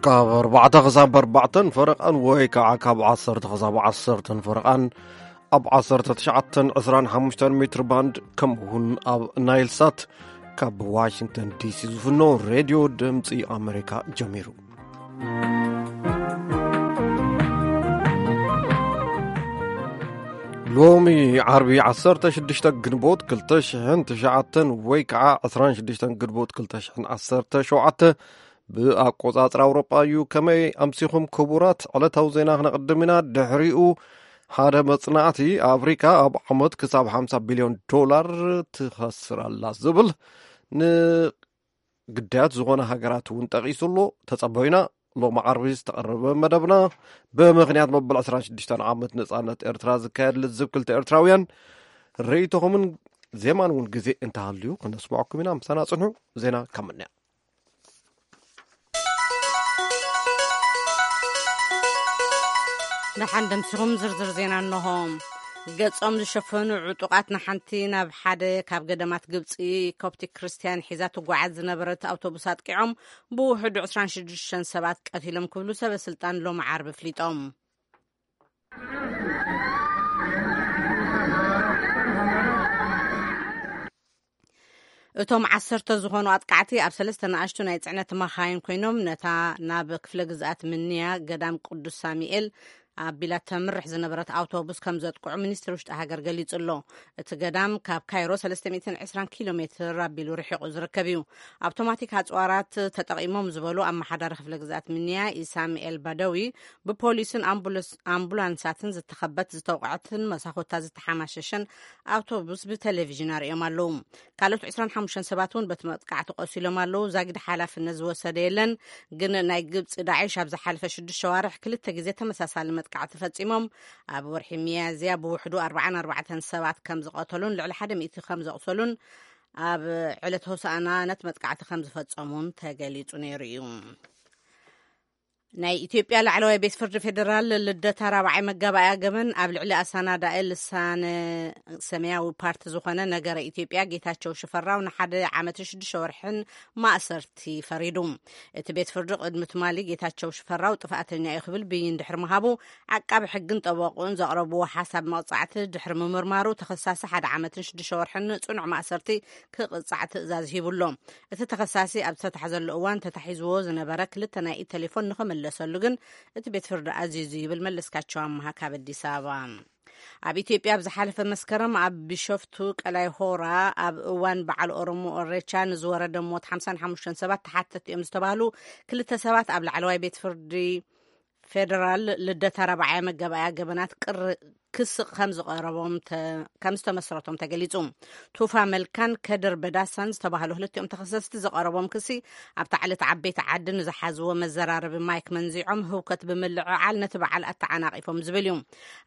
ካብ ኣርባዕተ ክሳብ ኣርባዕተን ፈረቓን ወይ ከዓ ካብ ዓሰርተ ክሳብ ዓሰርተን ፈረቓን ኣብ ዓሰርተ ትሽዓተን ዕስራን ሓሙሽተን ሜትር ባንድ፣ ከምኡ እውን ኣብ ናይል ሳት ካብ ዋሽንግተን ዲሲ ዝፍኖ ሬድዮ ድምፂ ኣሜሪካ ጀሚሩ። ሎሚ ዓርቢ ዓሰርተ ሽዱሽተ ግንቦት ክልተ ሽሕን ትሽዓተን ወይ ከዓ ዕስራን ሽዱሽተን ግንቦት ክልተ ሽሕን ዓሰርተ ሸውዓተ ብኣቆጻጽራ ኣውሮጳ እዩ። ከመይ ኣምሲኹም ክቡራት? ዕለታዊ ዜና ክነቕድም ኢና። ድሕሪኡ ሓደ መጽናዕቲ፣ ኣፍሪካ ኣብ ዓመት ክሳብ ሓምሳ ቢልዮን ዶላር ትኸስር ኣላ ዝብል ንግዳያት ዝኾነ ሃገራት እውን ጠቒሱ ኣሎ። ተጸበዩና። ሎሚ ዓርቢ ዝተቐረበ መደብና፣ ብምኽንያት መበል ዕስራን ሽዱሽተን ዓመት ነጻነት ኤርትራ ዝካየድ ልዝብ ክልተ ኤርትራውያን፣ ርእይቶኹምን ዜማን እውን ግዜ እንተሃልዩ ክነስምዐኩም ኢና። ምሳና ጽንሑ። ዜና ካብ ምንያ ደሓን ደምሲኹም ዝርዝር ዜና እንሆ። ገጾም ዝሸፈኑ ዕጡቓት ንሓንቲ ናብ ሓደ ካብ ገዳማት ግብጺ ኮፕቲክ ክርስትያን ሒዛ ትጓዓዝ ዝነበረት ኣውቶቡስ ኣጥቂዖም ብውሕዱ ዕስራን ሽዱሽተን ሰባት ቀቲሎም ክብሉ ሰበ ስልጣን ሎሚ ዓርቢ ኣፍሊጦም። እቶም ዓሰርተ ዝኾኑ ኣጥቃዕቲ ኣብ ሰለስተ ንኣሽቱ ናይ ጽዕነት መኻይን ኮይኖም ነታ ናብ ክፍለ ግዝኣት ምንያ ገዳም ቅዱስ ሳሙኤል ኣቢላ ተምርሕ ዝነበረት ኣውቶቡስ ከም ዘጥቅዑ ሚኒስትሪ ውሽጢ ሃገር ገሊጹ ኣሎ። እቲ ገዳም ካብ ካይሮ ሰለስተ ሚእትን ዕስራን ኪሎ ሜትር ኣቢሉ ርሒቑ ዝርከብ እዩ። ኣውቶማቲክ ኣጽዋራት ተጠቒሞም ዝበሉ ኣመሓዳሪ ክፍለ ግዝኣት ምንያ ኢሳምኤል ባደዊ፣ ብፖሊስን ኣምቡላንሳትን ዝተኸበት ዝተውቅዐትን መሳኹታ ዝተሓማሸሸን ኣውቶቡስ ብቴሌቪዥን ኣርእዮም ኣለዉ። ካልኦት ዕስራን ሓሙሽተን ሰባት እውን በቲ መጥቃዕቲ ቆሲሎም ኣለዉ። ዛጊድ ሓላፍነት ዝወሰደ የለን፣ ግን ናይ ግብፂ ዳዕሽ ኣብ ዝሓለፈ ሽዱሽተ ሸዋርሕ ክልተ ግዜ ተመሳሳሊ መጥቃዕቲ ፈፂሞም ኣብ ወርሒ ሚያዝያ ብውሕዱ ኣርባዓን ኣርባዕተን ሰባት ከም ዝቐተሉን ልዕሊ ሓደ ሚእቲ ከም ዘቑሰሉን ኣብ ዕለት ሆሳእና ነቲ መጥቃዕቲ ከም ዝፈጸሙን ተገሊጹ ነይሩ እዩ። ናይ ኢትዮጵያ ላዕለዋይ ቤት ፍርዲ ፌዴራል ልደታ ራብዓይ መጋባእያ ገበን ኣብ ልዕሊ ኣሳናዳኢ ልሳነ ሰማያዊ ፓርቲ ዝኾነ ነገረ ኢትዮጵያ ጌታቸው ሽፈራው ንሓደ ዓመትን ሽዱሽተ ወርሕን ማእሰርቲ ፈሪዱ። እቲ ቤት ፍርዲ ቅድሚ ትማሊ ጌታቸው ሽፈራው ጥፍኣተኛ እዩ ክብል ብይን ድሕሪ ምሃቡ፣ ዓቃቢ ሕግን ጠበቁን ዘቕረብዎ ሓሳብ መቕጻዕቲ ድሕሪ ምምርማሩ ተኸሳሲ ሓደ ዓመትን ሽዱሽተ ወርሕን ጽኑዕ ማእሰርቲ ክቕጻዕ ትእዛዝ ሂቡ ኣሎ። እቲ ተኸሳሲ ኣብ ዝተታሕዘሉ እዋን ተታሒዝዎ ዝነበረ ክልተ ናይ ኢድ ቴሌፎን ንኽምለሰሉ ግን እቲ ቤት ፍርዲ ኣዚዙ ይብል መለስካቸው ኣምሃ ካብ ኣዲስ ኣበባ። ኣብ ኢትዮጵያ ኣብ ዝሓለፈ መስከረም ኣብ ቢሾፍቱ ቀላይ ሆራ ኣብ እዋን በዓል ኦሮሞ ኦሬቻ ንዝወረደ ሞት ሓምሳን ሓሙሽተን ሰባት ተሓተቲ እዮም ዝተባህሉ ክልተ ሰባት ኣብ ላዕለዋይ ቤት ፍርዲ ፌደራል ልደታ ራብዓይ መጋባእያ ገበናት ቅር ክሲ ከም ዝቐረቦም ተ- ከም ዝተመስረቶም ተገሊጹ። ቱፋ መልካን ከድር በዳሳን ዝተባህሉ ክልቲኦም ተኸሰስቲ ዝቐረቦም ክሲ ኣብታ ዕለት ዓበይቲ ዓዲ ንዝሓዝዎ መዘራረቢ ማይክ መንዚዖም ህውከት ብምልዕዓል ነቲ በዓል ኣተዓናቒፎም ዝብል እዩ።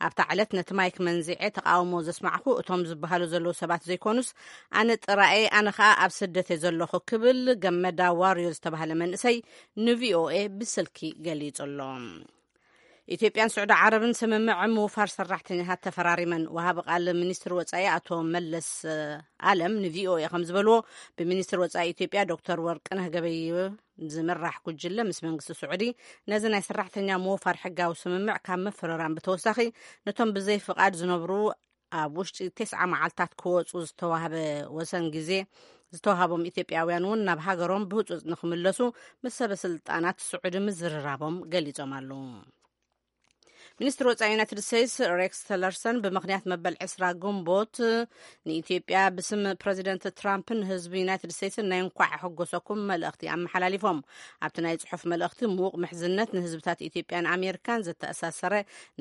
ኣብታ ዕለት ነቲ ማይክ መንዚዐ ተቃውሞ ዘስማዕኩ እቶም ዝበሃሉ ዘለዉ ሰባት ዘይኮኑስ ኣነ ጥራኤ፣ ኣነ ኸኣ ኣብ ስደት እየ ዘለኹ ክብል ገመዳ ዋርዮ ዝተባህለ መንእሰይ ንቪኦኤ ብስልኪ ገሊጹ ኣሎ። ኢትዮጵያን ስዑዲ ዓረብን ስምምዕ ምውፋር ሰራሕተኛታት ተፈራሪመን። ወሃቢ ቃል ሚኒስትሪ ወጻኢ ኣቶ መለስ ኣለም ንቪኦኤ ከም ዝበልዎ፣ ብሚኒስትሪ ወጻኢ ኢትዮጵያ ዶክተር ወርቅነህ ገበየሁ ዝምራሕ ጉጅለ ምስ መንግስቲ ስዑዲ ነዚ ናይ ሰራሕተኛ ምውፋር ሕጋዊ ስምምዕ ካብ ምፍርራም ብተወሳኺ ነቶም ብዘይ ፍቓድ ዝነብሩ ኣብ ውሽጢ ተስዓ መዓልታት ክወጹ ዝተዋህበ ወሰን ግዜ ዝተዋሃቦም ኢትዮጵያውያን እውን ናብ ሃገሮም ብህጹጽ ንኽምለሱ ምስ ሰበ ስልጣናት ስዑዲ ምዝርራቦም ገሊጾም ኣለዉ። ሚኒስትሪ ወጻኢ ዩናይትድ ስቴትስ ሬክስ ተለርሰን ብምኽንያት መበል ዕስራ ግንቦት ንኢትዮጵያ ብስም ፕረዚደንት ትራምፕን ህዝቢ ዩናይትድ ስቴትስን ናይ እንኳዕ ኣሐጎሰኩም መልእኽቲ ኣመሓላሊፎም። ኣብቲ ናይ ጽሑፍ መልእኽቲ፣ ምዉቕ ምሕዝነት ንህዝብታት ኢትዮጵያን ኣሜሪካን ዘተኣሳሰረ፣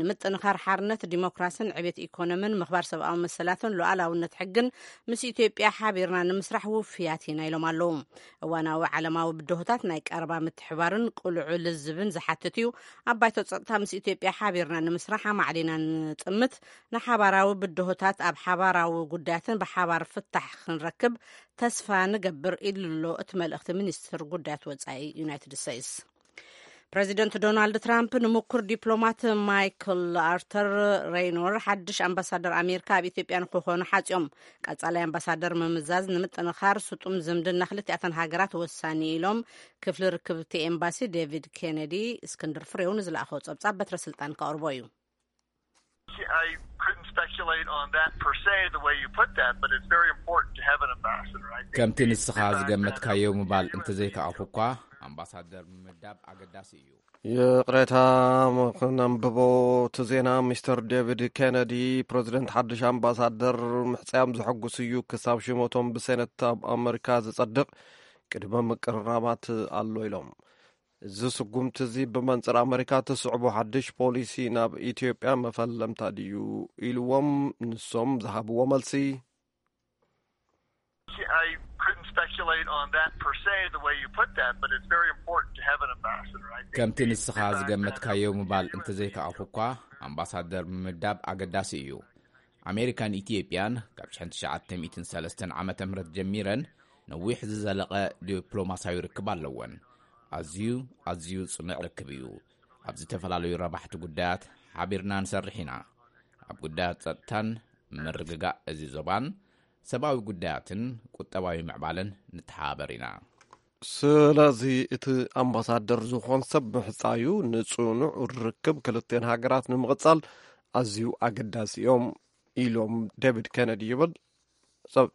ንምጥንኻር ሓርነት፣ ዲሞክራስን ዕቤት ኢኮኖምን፣ ምኽባር ሰብኣዊ መሰላትን ሉዓላውነት ሕግን ምስ ኢትዮጵያ ሓቢርና ንምስራሕ ውፍያት ኢና ኢሎም ኣለዉ። እዋናዊ ዓለማዊ ብድሆታት ናይ ቀረባ ምትሕባርን ቅሉዕ ልዝብን ዝሓትት እዩ። ኣብ ባይቶ ጸጥታ ምስ ኢትዮጵያ ሓቢርና ንምስራሕ ኣማዕዲና ንጥምት፣ ንሓባራዊ ብድሆታት ኣብ ሓባራዊ ጉዳያትን ብሓባር ፍታሕ ክንረክብ ተስፋ ንገብር ኢሉ ኣሎ እቲ መልእኽቲ ሚኒስትር ጉዳያት ወጻኢ ዩናይትድ ስቴትስ። ፕረዚደንት ዶናልድ ትራምፕ ንምኩር ዲፕሎማት ማይክል ኣርተር ሬይኖር ሓድሽ ኣምባሳደር ኣሜሪካ ኣብ ኢትዮጵያ ንክኾኑ ሓጽዮም። ቀጻላይ ኣምባሳደር ምምዛዝ ንምጥንኻር ስጡም ዝምድና ክልቲኣተን ሃገራት ወሳኒ ኢሎም ክፍሊ ርክብቲ ኤምባሲ ዴቪድ ኬነዲ። እስክንድር ፍሬው ንዝለኣኸው ጸብጻብ በትረ ስልጣን ከቕርቦ እዩ። I couldn't speculate on that per se, the way you put that, but it's very important to have an ambassador. I think ከምቲ ንስኻ ዝገመትካዮ ምባል እንተዘይከኣልኩ እኳ ኣምባሳደር ምምዳብ ኣገዳሲ እዩ። ይቕሬታ፣ ክነንብቦ እቲ ዜና። ሚስተር ዴቪድ ኬነዲ ፕረዚደንት ሓድሽ ኣምባሳደር ምሕጻዮም ዘሐጉስ እዩ። ክሳብ ሽመቶም ብሴነት ኣብ ኣመሪካ ዝጸድቕ ቅድመ ምቅርራባት ኣሎ ኢሎም። እዚ ስጉምቲ እዚ ብመንጽር ኣመሪካ ትስዕቦ ሓድሽ ፖሊሲ ናብ ኢትዮጵያ መፈለምታ ድዩ ኢልዎም። ንሶም ዝሃብዎ መልሲ I couldn't speculate on that per se, the way you put that, but it's very important to have an ambassador. I think ከምቲ ንስኻ ዝገመትካዮ ምባል እንተዘይከኣልኩ እኳ ኣምባሳደር ምምዳብ ኣገዳሲ እዩ። ኣሜሪካን ኢትዮጵያን ካብ ሽሕን ትሽዓተ ሚእትን ሰለስተን ዓመተ ምህረት ጀሚረን ነዊሕ ዝዘለቐ ዲፕሎማስያዊ ርክብ ኣለወን። ኣዝዩ ኣዝዩ ጽኑዕ ርክብ እዩ። ኣብ ዝተፈላለዩ ረባሕቲ ጉዳያት ሓቢርና ንሰርሕ ኢና። ኣብ ጉዳያት ጸጥታን ምርግጋእ እዚ ዞባን፣ ሰብኣዊ ጉዳያትን ቁጠባዊ ምዕባለን ንተሓባበር ኢና። ስለዚ እቲ ኣምባሳደር ዝኾን ሰብ ምሕጻዩ ንጽኑዕ ርክብ ክልቴን ሃገራት ንምቕጻል ኣዝዩ ኣገዳሲ እዮም ኢሎም ዴቪድ ኬነዲ ይብል። ሰብ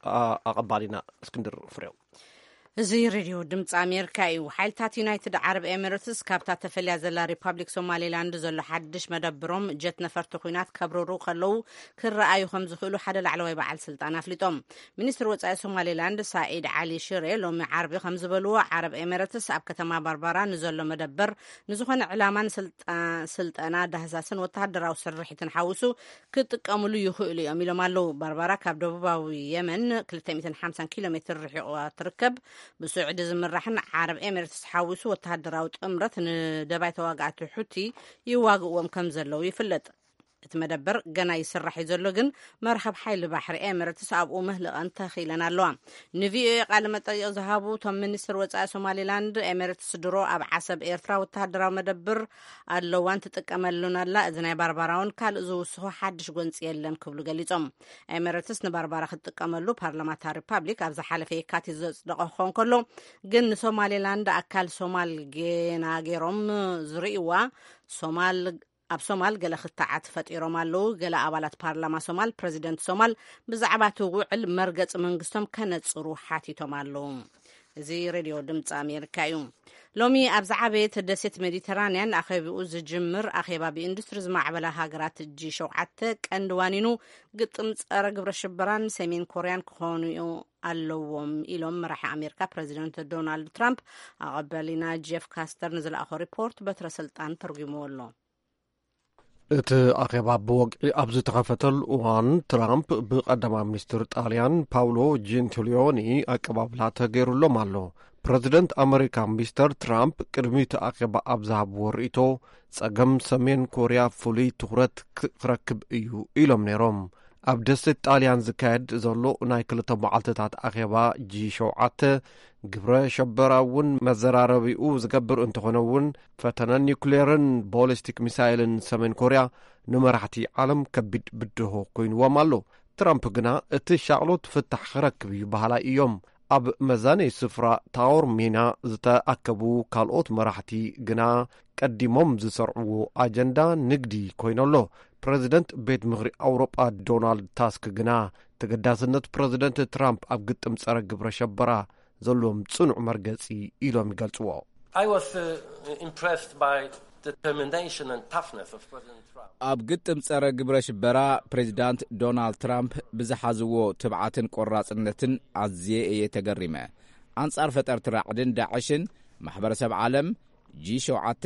ኣቐባሊና እስክንድር ፍሬው። እዚ ሬድዮ ድምፂ ኣሜሪካ እዩ። ሓይልታት ዩናይትድ ዓረብ ኤሚሬትስ ካብታ ተፈልያ ዘላ ሪፓብሊክ ሶማሌላንድ ዘሎ ሓድሽ መደብሮም ጀት ነፈርቲ ኩናት ከብርሩ ከለዉ ክረኣዩ ከም ዝኽእሉ ሓደ ላዕለዋይ በዓል ስልጣን ኣፍሊጦም። ሚኒስትር ወፃኢ ሶማሌላንድ ሳኢድ ዓሊ ሽሬ ሎሚ ዓርቢ ከም ዝበልዎ፣ ዓረብ ኤሚሬትስ ኣብ ከተማ ባርባራ ንዘሎ መደበር ንዝኾነ ዕላማን ስልጣ- ስልጠና ዳህሳስን ወተሃደራዊ ስርሒትን ሓዊሱ ክጥቀምሉ ይኽእሉ እዮም ኢሎም ኣለዉ። ባርባራ ካብ ደቡባዊ የመን ክልተ ሚእትን ሓምሳን ኪሎ ሜትር ርሒቑዋ ትርከብ። ብስዑዲ ዝምራሕን ዓረብ ኤሚሬትስ ሓዊሱ ወተሃደራዊ ጥምረት ንደባይ ተዋጋእቲ ሑቲ ይዋግእዎም ከም ዘለዉ ይፍለጥ። እቲ መደበር ገና ይስራሕ እዩ ዘሎ፣ ግን መርሃብ ሓይሊ ባሕሪ ኤሚሬትስ ኣብኡ መህልቐን ተኺለን ኣለዋ። ንቪኦኤ ቃለ መጠይቕ ዝሃቡ እቶም ሚኒስትር ወፃኢ ሶማሌላንድ፣ ኤሚሬትስ ድሮ ኣብ ዓሰብ ኤርትራ ወተሃደራዊ መደብር ኣለዋን ትጥቀመሉን ኣላ። እዚ ናይ ባርባራውን ካልእ ዝውስኹ ሓድሽ ጎንፂ የለን ክብሉ ገሊጾም። ኤሚሬትስ ንባርባራ ክትጥቀመሉ ፓርላማ እታ ሪፓብሊክ ኣብ ዝሓለፈ የካቲት ዘጽደቐ ክኸውን ከሎ፣ ግን ንሶማሌላንድ ኣካል ሶማል ጌና ገይሮም ዝርእይዋ ሶማል ኣብ ሶማል ገለ ክትዓት ፈጢሮም ኣለዉ። ገለ ኣባላት ፓርላማ ሶማል ፕረዚደንት ሶማል ብዛዕባ እቲ ውዕል መርገጺ መንግስቶም ከነጽሩ ሓቲቶም ኣለዉ። እዚ ሬድዮ ድምፂ ኣሜሪካ እዩ። ሎሚ ኣብ ዝዓበየት ደሴት ሜዲተራንያን ኣኼቢኡ ዝጅምር ኣኼባ ብኢንዱስትሪ ዝማዕበላ ሃገራት ጂ ሸውዓተ ቀንዲ ዋኒኑ ግጥም ጸረ ግብረ ሽበራን ሰሜን ኮርያን ክኾኑ ኣለዎም ኢሎም መራሒ ኣሜሪካ ፕረዚደንት ዶናልድ ትራምፕ። ኣቐበሊና ጄፍ ካስተር ንዝለኣኾ ሪፖርት በትረ ስልጣን ተርጉምዎ ኣሎ። እቲ ኣኼባ ብወግዒ ኣብ ዝተኸፈተሉ እዋን ትራምፕ ብቀዳማይ ሚኒስትር ጣልያን ፓውሎ ጀንቲሊዮኒ ኣቀባብላ ተገይሩሎም ኣሎ። ፕረዚደንት ኣመሪካ ሚስተር ትራምፕ ቅድሚ እቲ ኣኼባ ኣብ ዝሃብዎ ርእይቶ፣ ጸገም ሰሜን ኮርያ ፍሉይ ትኹረት ክረክብ እዩ ኢሎም ነይሮም። ኣብ ደሴት ጣልያን ዝካየድ ዘሎ ናይ ክልተ መዓልትታት ኣኼባ ጂ ሸውዓተ ግብረ ሸበራ እውን መዘራረቢኡ ዝገብር እንተኾነ እውን፣ ፈተነ ኒውክሌርን ቦሊስቲክ ሚሳይልን ሰሜን ኮርያ ንመራሕቲ ዓለም ከቢድ ብድሆ ኮይንዎም ኣሎ። ትራምፕ ግና እቲ ሻቕሎት ፍታሕ ክረክብ እዩ በሃላይ እዮም። ኣብ መዛነይ ስፍራ ታወር ሚና ዝተኣከቡ ካልኦት መራሕቲ ግና ቀዲሞም ዝሰርዕዎ ኣጀንዳ ንግዲ ኮይኑ ኣሎ። ፕረዚደንት ቤት ምኽሪ ኣውሮጳ ዶናልድ ታስክ ግና ተገዳስነት ፕረዚደንት ትራምፕ ኣብ ግጥም ጸረ ግብረ ሸበራ ዘለዎም ጽኑዕ መርገጺ ኢሎም ይገልጽዎ። I was uh, impressed by the determination and toughness of President Trump. ኣብ ግጥም ጸረ ግብረ ሽበራ ፕሬዚዳንት ዶናልድ ትራምፕ ብዝሓዝዎ ትብዓትን ቆራጽነትን ኣዝየ እየ ተገሪመ። ኣንጻር ፈጠርቲ ራዕድን ዳዕሽን ማሕበረሰብ ዓለም ጂ ሸውዓተ፣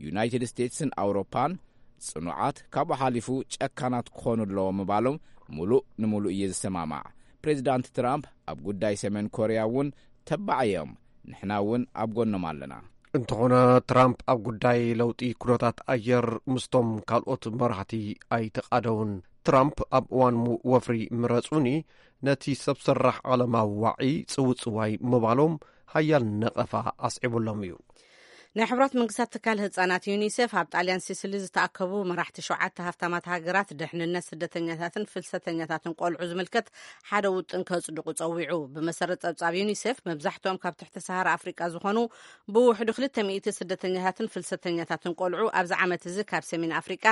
ዩናይትድ ስቴትስን ኣውሮፓን ጽኑዓት፣ ካብኡ ሓሊፉ ጨካናት ክኾኑ ኣለዎም ምባሎም ሙሉእ ንሙሉእ እየ ዝሰማማዕ። ፕሬዚዳንት ትራምፕ ኣብ ጉዳይ ሰሜን ኮርያ እውን ተባዕ እዮም። ንሕና እውን ኣብ ጎኖም ኣለና። እንተኾነ ትራምፕ ኣብ ጉዳይ ለውጢ ኩነታት ኣየር ምስቶም ካልኦት መራሕቲ ኣይተቓደውን። ትራምፕ ኣብ እዋን ወፍሪ ምረጹኒ ነቲ ሰብ ሰራሕ ዓለማዊ ዋዒ ጽውጽዋይ ምባሎም ሓያል ነቐፋ ኣስዒቡሎም እዩ። ናይ ሕቡራት መንግስታት ትካል ህጻናት ዩኒሴፍ ኣብ ጣልያን ሲሲሊ ዝተኣከቡ መራሕቲ ሸውዓተ ሃፍታማት ሃገራት ድሕንነት ስደተኛታትን ፍልሰተኛታትን ቆልዑ ዝምልከት ሓደ ውጥን ከጽድቑ ጸዊዑ። ብመሰረት ጸብጻብ ዩኒሴፍ፣ መብዛሕትኦም ካብ ትሕቲ ሰሃራ ኣፍሪቃ ዝኾኑ ብውሕዱ ክልተ ሚእቲ ስደተኛታትን ፍልሰተኛታትን ቆልዑ ኣብዚ ዓመት እዚ ካብ ሰሜን ኣፍሪቃ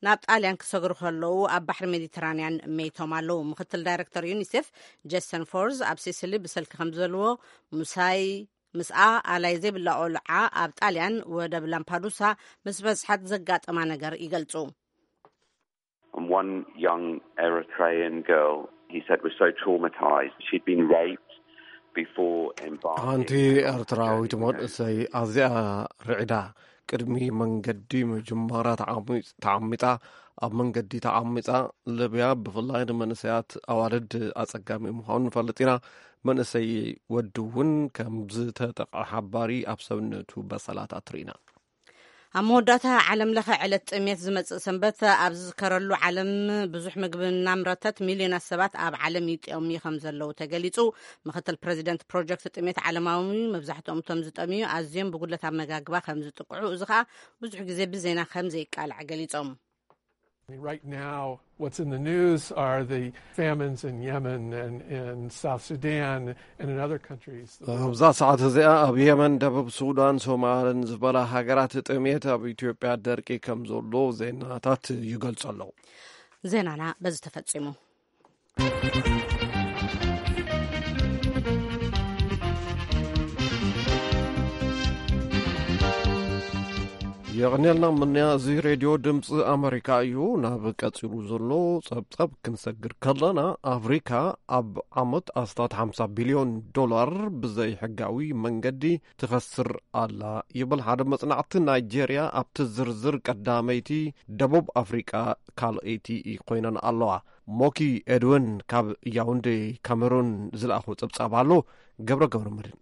ናብ ጣልያን ክሰግሩ ከለዉ ኣብ ባሕሪ ሜዲተራንያን መይቶም ኣለዉ። ምክትል ዳይሬክተር ዩኒሴፍ ጀሰን ፎርዝ ኣብ ሲሲሊ ብሰልኪ ከም ዝበልዎ፣ ምሳይ ምስኣ ኣላይ ዘይብላ ቆልዓ ኣብ ጣልያን ወደብ ላምፓዱሳ ምስ በዝሓት ዘጋጠማ ነገር ይገልጹ። And one young Eritrean girl, he said, was so traumatized. She'd been raped before embarking ሓንቲ on ኤርትራዊት መንእሰይ ኣዝያ ርዕዳ ቅድሚ መንገዲ ምጅማራ ተዓሚጽ- ተዓሚጻ፣ ኣብ መንገዲ ተዓሚጻ። ልብያ ብፍላይ ንመንእሰያት ኣዋልድ ኣጸጋሚ ምዃኑ ንፈልጥ ኢና። መንእሰይ ወዲ እውን ከም ዝተጠቕዐ ሓባሪ ኣብ ሰብነቱ በሰላት ኣትሪና። ኣብ መወዳእታ ዓለም ለኸ ዕለት ጥሜት ዝመጽእ ሰንበት ኣብ ዝዝከረሉ ዓለም፣ ብዙሕ ምግቢ እናምረተት ሚልዮናት ሰባት ኣብ ዓለም ይጥየሙ ከም ዘለዉ ተገሊጹ። ምክትል ፕሬዚደንት ፕሮጀክት ጥሜት ዓለማዊ፣ መብዛሕትኦም እቶም ዝጠምዩ ኣዝዮም ብጉድለት ኣመጋግባ ከም ዝጥቅዑ፣ እዚ ኸኣ ብዙሕ ግዜ ብዜና ከም ዘይቃላዕ ገሊጾም። Right now, what's in the news are the famines in Yemen and in South Sudan and in other countries. ኣብዛ ሰዓት እዚኣ ኣብ የመን፣ ደቡብ ሱዳን፣ ሶማልን ዝበላ ሃገራት ጥሜት፣ ኣብ ኢትዮጵያ ደርቂ ከም ዘሎ ዜናታት ይገልጹ ኣለዉ። ዜናና በዚ ተፈጺሙ። የቕንየልና ምንያ። እዚ ሬድዮ ድምፂ ኣመሪካ እዩ። ናብ ቀፂሉ ዘሎ ፀብፀብ ክንሰግር ከለና፣ ኣፍሪካ ኣብ ዓመት ኣስታት ሓምሳ ቢልዮን ዶላር ብዘይ ሕጋዊ መንገዲ ትኸስር ኣላ ይብል ሓደ መፅናዕቲ። ናይጄርያ ኣብቲ ዝርዝር ቀዳመይቲ፣ ደቡብ ኣፍሪቃ ካልኣይቲ ኮይነን ኣለዋ። ሞኪ ኤድዊን ካብ ያውንዴ ካሜሩን ዝለኣኾ ፀብፃብ ኣሎ። ገብረ ገብረ መድን።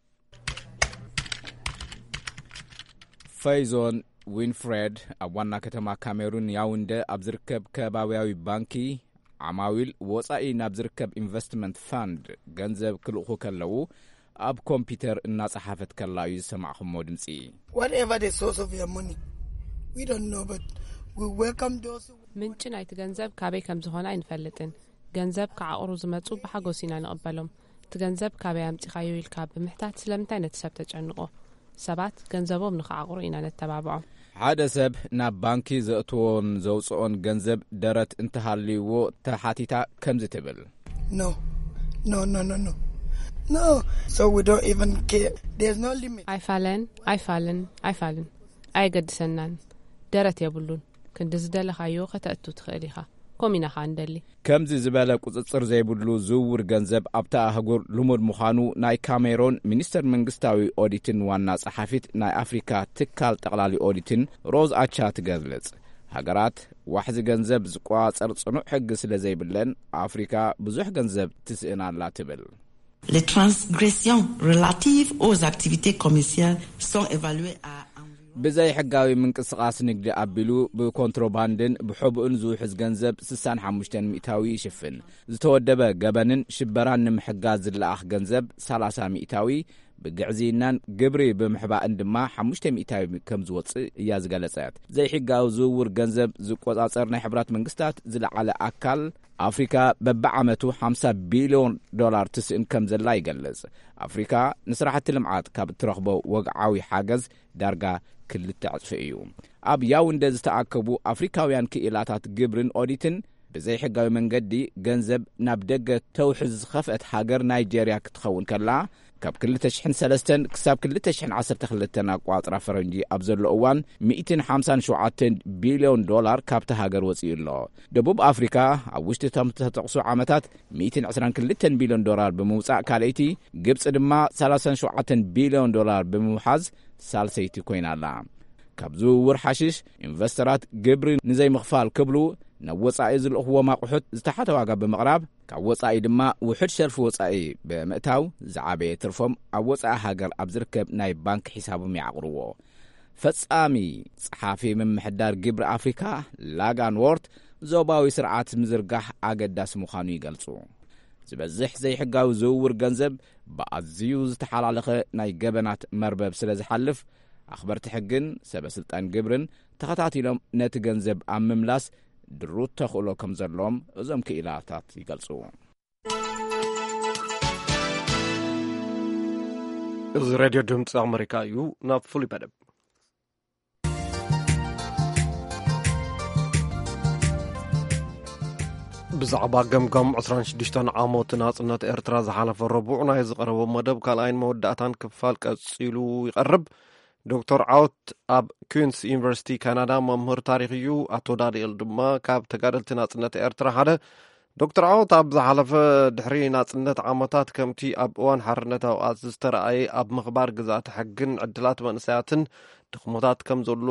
ፈይዞን ዊንፍሬድ ኣብ ዋና ከተማ ካሜሩን ያውንደ ኣብ ዝርከብ ከባብያዊ ባንኪ፣ ዓማዊል ወጻኢ ናብ ዝርከብ ኢንቨስትመንት ፋንድ ገንዘብ ክልእኹ ከለዉ፣ ኣብ ኮምፒተር እናጸሓፈት ከላ እዩ ዝሰማዕኹሞ ድምጺ። Whatever the source of your money, we don't know, but we welcome those who ምንጪ ናይቲ ገንዘብ ካበይ ከም ዝኾነ ኣይንፈልጥን። ገንዘብ ክዓቕሩ ዝመጹ ብሓጎስ ኢና ንቕበሎም። እቲ ገንዘብ ካበይ ኣምጺኻዮ ኢልካ ብምሕታት ስለምንታይ ነቲ ሰብ ተጨንቖ? ሰባት ገንዘቦም ንኽዓቕሩ ኢና ነተባብዖም። ሓደ ሰብ ናብ ባንኪ ዘእትዎን ዘውጽኦን ገንዘብ ደረት እንተሃልይዎ ተሓቲታ ከምዚ ትብል። No, no, no, no, no, no. So we don't even care. There's no limit. ኣይፋለን ኣይፋልን ኣይፋልን፣ ኣየገድሰናን። ደረት የብሉን። ክንዲ ዝደለኻዮ ከተእቱ ትኽእል ኢኻ። ኮሚና ኸኣ ንደሊ። ከምዚ ዝበለ ቁጽጽር ዘይብሉ ዝውውር ገንዘብ ኣብታ ኣህጉር ልሙድ ምዃኑ ናይ ካሜሮን ሚኒስተር መንግስታዊ ኦዲትን ዋና ጸሓፊት ናይ ኣፍሪካ ትካል ጠቕላሊ ኦዲትን ሮዝ ኣቻ ትገልጽ። ሃገራት ዋሕዚ ገንዘብ ዝቆጻጸር ጽኑዕ ሕጊ ስለ ዘይብለን፣ ኣፍሪካ ብዙሕ ገንዘብ ትስእን ኣላ ትብል። Les transgressions relatives aux activités commerciales sont évaluées à environ ብዘይ ሕጋዊ ምንቅስቓስ ንግዲ ኣቢሉ ብኮንትሮባንድን ብሕቡእን ዝውሕዝ ገንዘብ ስሳን ሓሙሽተን ሚእታዊ ይሽፍን። ዝተወደበ ገበንን ሽበራን ንምሕጋዝ ዝለኣኽ ገንዘብ ሰላሳ ሚእታዊ፣ ብግዕዝይናን ግብሪ ብምሕባእን ድማ ሓሙሽተ ሚእታዊ ከም ዝወጽእ እያ ዝገለጸት። ዘይሕጋዊ ዝውውር ገንዘብ ዝቆጻጸር ናይ ሕቡራት መንግስታት ዝለዓለ ኣካል፣ ኣፍሪካ በብዓመቱ ሓምሳ ቢልዮን ዶላር ትስእን ከም ዘላ ይገልጽ። ኣፍሪካ ንስራሕቲ ልምዓት ካብ እትረኽቦ ወግዓዊ ሓገዝ ዳርጋ ክልተ ዕጽፊ እዩ። ኣብ ያውንደ ዝተኣከቡ ኣፍሪካውያን ክኢላታት ግብርን ኦዲትን፣ ብዘይሕጋዊ መንገዲ ገንዘብ ናብ ደገ ተውሕዝ ዝኸፍአት ሃገር ናይጄርያ ክትኸውን ከላ፣ ካብ ክልተ ሽሕን ሰለስተን ክሳብ ክልተ ሽሕን ዓሰርተ ክልተን ኣቋጽራ ፈረንጂ ኣብ ዘሎ እዋን፣ ሚእትን ሓምሳን ሸውዓተን ቢልዮን ዶላር ካብታ ሃገር ወጺኡ ኣሎ። ደቡብ ኣፍሪካ ኣብ ውሽጢ እቶም ዝተጠቕሱ ዓመታት ሚእትን ዕስራን ክልተን ቢልዮን ዶላር ብምውጻእ ካልኣይቲ፣ ግብጺ ድማ ሰላሳን ሸውዓተን ቢልዮን ዶላር ብምውሓዝ ሳልሰይቲ ኮይና ኣላ። ካብ ዝውውር ሓሽሽ፣ ኢንቨስተራት ግብሪ ንዘይምኽፋል ክብሉ ናብ ወጻኢ ዝልእኽዎም ኣቑሑት ዝተሓተ ዋጋ ብምቕራብ፣ ካብ ወጻኢ ድማ ውሑድ ሸርፊ ወጻኢ ብምእታው፣ ዝዓበየ ትርፎም ኣብ ወጻኢ ሃገር ኣብ ዝርከብ ናይ ባንክ ሒሳቦም ይዓቕርዎ። ፈጻሚ ጸሓፊ ምምሕዳር ግብሪ ኣፍሪካ ላጋን ዎርት፣ ዞባዊ ስርዓት ምዝርጋሕ ኣገዳሲ ምዃኑ ይገልጹ። ዝበዝሕ ዘይሕጋዊ ዝውውር ገንዘብ ብኣዝዩ ዝተሓላለኸ ናይ ገበናት መርበብ ስለ ዝሓልፍ፣ ኣኽበርቲ ሕግን ሰበ ስልጣን ግብርን ተኸታቲሎም ነቲ ገንዘብ ኣብ ምምላስ ድሩት ተኽእሎ ከም ዘለዎም እዞም ክኢላታት ይገልጹ። እዚ ሬድዮ ድምፂ ኣመሪካ እዩ። ናብ ፍሉይ መደብ። ብዛዕባ ገምጋም ዕስራን ሽዱሽተን ዓመት ናጽነት ኤርትራ ዝሓለፈ ረቡዕ ናይ ዝቐረበ መደብ ካልኣይን መወዳእታን ክፋል ቀጺሉ ይቐርብ። ዶክተር ዓወት ኣብ ኩንስ ዩኒቨርሲቲ ካናዳ መምህር ታሪኽ እዩ። ኣቶ ዳንኤል ድማ ካብ ተጋደልቲ ናጽነት ኤርትራ ሓደ። ዶክተር ዓወት፣ ኣብ ዝሓለፈ ድሕሪ ናጽነት ዓመታት ከምቲ ኣብ እዋን ሓርነት ኣውዓት ዝተረኣየ ኣብ ምኽባር ግዝኣተ ሕግን ዕድላት መንእሰያትን ድኽመታት ከም ዘሎ